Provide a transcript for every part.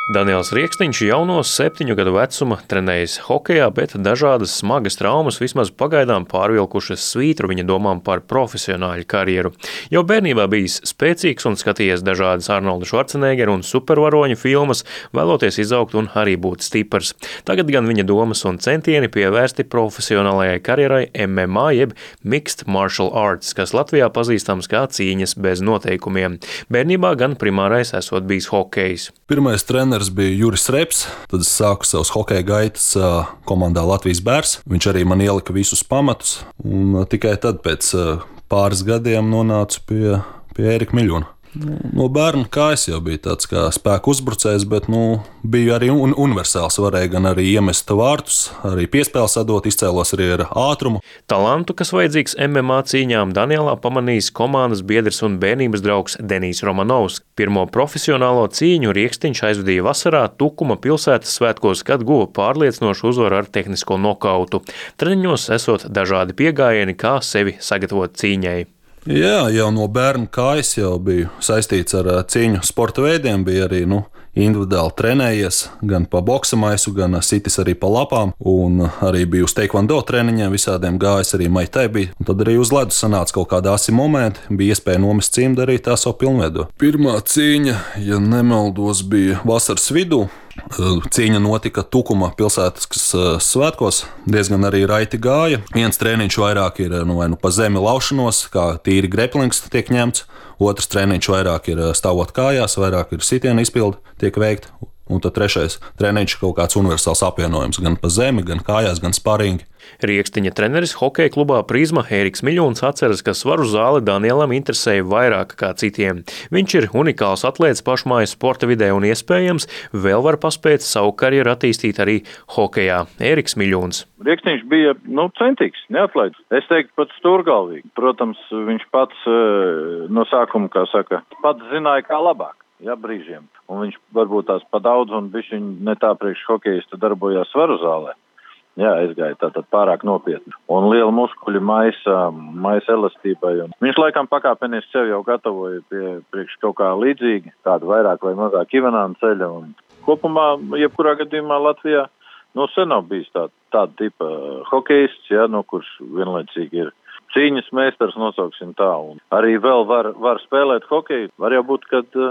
Daniels Rieksniņš jaunos 7 gadu vecuma trenējas hokejā, bet dažādas smagas traumas vismaz pagaidām pārvilkušas svītru viņa domām par profesionāļu karjeru. Jau bērnībā bijis spēcīgs un skatījies dažādas Arnolda Švarceneggera un supervaroņu filmas, vēloties izaugt un arī būt stiprs. Tagad gan viņa domas un centieni pievērsti profesionālajai karjerai MMA jeb Mixed Martial Arts, kas Latvijā pazīstams kā cīņas bez noteikumiem. Bērnībā gan primārais esot bijis hokejs. Pirmais treneris bija Juris Reps, tad es sāku savus hokeja gaitas komandā Latvijas Bērs. Viņš arī man ielika visus pamatus, un tikai tad pēc pāris gadiem nonācu pie Ērika Miļona. No bērna kājas jau bija tāds kā spēku uzbrucējs, bet biju arī universāls. Varēja gan arī iemest vārtus, arī piespēles atdot, izcēlos arī ar ātrumu. Talantu, kas vajadzīgs MMA cīņām, Danielā pamanījis komandas biedrs un bērnības draugs Denijs Romanovs. Pirmo profesionālo cīņu Rieksniņš aizvadīja vasarā Tukuma pilsētas svētkos, kad guva pārliecinošu uzvaru ar tehnisko nokautu. Treniņos esot dažādi pieejami, kā sevi sagatavot cīņai. Jā, jau no bērna kājas jau biju saistīts ar cīņu sporta veidiem, bija arī individuāli trenējies, gan pa boksa maisu, gan sitis arī pa lapām, un arī biju uz teikvando treniņiem, visādiem gājis, arī maitai bija. Un tad arī uz ledus sanāca kaut kādi asi momenti, bija iespēja nomest cimdu, arī tā savu pilnveido. Pirmā cīņa, ja nemaldos, bija vasaras vidū. Cīņa notika Tukuma pilsētas svētkos, diezgan arī raiti gāja. Viens treniņš vairāk ir vai pa zemi laušanos, kā tīri greplings tiek ņemts. Otrs treniņš vairāk ir stāvot kājās, vairāk ir sitiena izpilde tiek veikta. Un tad trešais treniņš kaut kāds universāls apvienojums, gan pa zemi, gan kājās, gan sparingi. Rieksniņa treneris hokeja klubā Prizma Ēriks Miļons atceras, ka svaru zāle Danielam interesēja vairāk kā citiem. Viņš ir unikāls atlēts pašmājas sporta vidē un iespējams vēl var paspēt savu karjeru attīstīt arī hokejā. Ēriks Miļons. Rieksniņš bija centīgs, neatlaidīgs. Es teiktu pat stūrgalvīgi. Protams, viņš pats no sākuma, pats zināja, kā labāk. Jā, brīžiem. Un viņš varbūt tās pa daudz un bišķiņ ne tā priekš hokejista darbojās svaru zālē. Jā, aizgāja tātad pārāk nopietni. Un liela muskuļi maisa elastībai. Un viņš laikam pakāpeniski sev jau gatavoja priekš kaut kā līdzīgi, tādu vairāk vai mazāk Ivanāna ceļa. Un kopumā, jebkurā gadījumā Latvijā, sen nav bijis tāda tipa hokejists, kurš vienlaicīgi ir cīņas meistars, nosauksim tā. Un arī vēl var spēlēt hokeju. Var jau būt, kad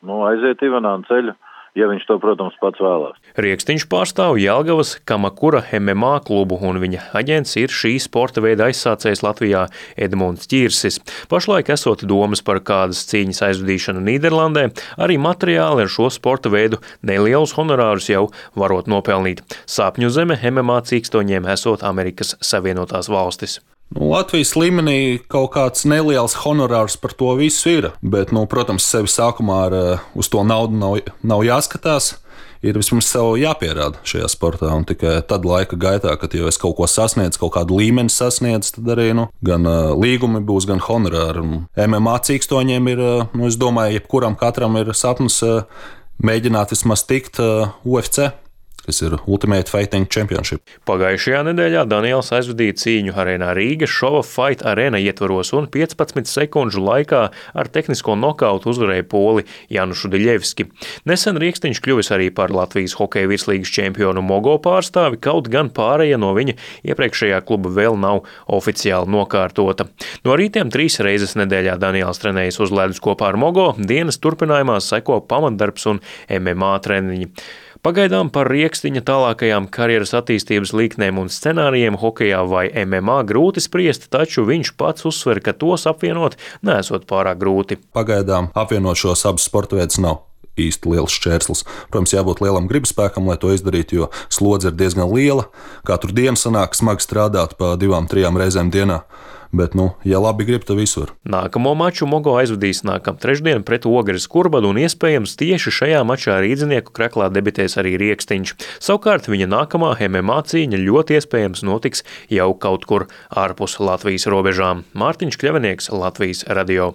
aiziet Ivanāna ceļu, ja viņš to, protams, pats vēlās. Rieksniņš pārstāv Jelgavas Kamakura MMA klubu, un viņa aģents ir šī sporta veida aizsācējs Latvijā Edmunds Ķirsis. Pašlaik esot domas par kādas cīņas aizvadīšanu Nīderlandē, arī materiāli ar šo sporta veidu nelielus honorārus jau varot nopelnīt. Sapņu zeme MMA cīkstoņiem esot Amerikas Savienotās valstis. Latvijas līmenī kaut kāds neliels honorārs par to visu ir, bet, protams, sevi sākumā uz to naudu nav jāskatās. Ir vismaz sev jāpierāda šajā sportā, un tikai tad laika gaitā, kad jau es kaut ko sasniedzu, kaut kādu līmeni sasniedzu, tad arī gan līgumi būs, gan honorāri. MMA cīkstoņiem ir, es domāju, jebkuram katram ir sapnis mēģināt vismaz tikt UFC. Kas ir Ultimate Fighting Championship. Pagājušajā nedēļā Daniels aizvadīja cīņu arēnā Rīgas Šova Fight Arena ietvaros un 15 sekundžu laikā ar tehnisko nokautu uzvarēja poli Janušu Diļevski. Nesen Rieksniņš kļuvis arī par Latvijas hokeja virslīgas čempionu Mogo pārstāvi, kaut gan pārēja no viņa iepriekšējā kluba vēl nav oficiāli nokārtota. No rītiem 3 reizes nedēļā Daniels trenējas uz ledus kopā ar Mogo, dienas turpinājumā seko pamatdarbs un MMA treniņi. Pagaidām par Rieksniņa tālākajām karjeras attīstības līknēm un scenārijiem hokejā vai MMA grūti spriest, taču viņš pats uzsver, ka tos apvienot nesot pārāk grūti. Pagaidām apvienot šos abus sporta veidus nav īsti liels šķērslis. Protams, jābūt lielam gribspēkam, lai to izdarītu, jo slodze ir diezgan liela. Katru dienu sanāk smagi strādāt pa 2-3 reizēm dienā. Bet, ja labi grib, tad visur. Nākamo maču Mogo aizvadīs nākam trešdien pret Ogres Kurbadu, un iespējams tieši šajā mačā rīdzinieku kreklā debitēs arī Rieksniņš. Savukārt viņa nākamā MMA cīņa ļoti iespējams notiks jau kaut kur ārpus Latvijas robežām. Mārtiņš Kļavinieks, Latvijas radio.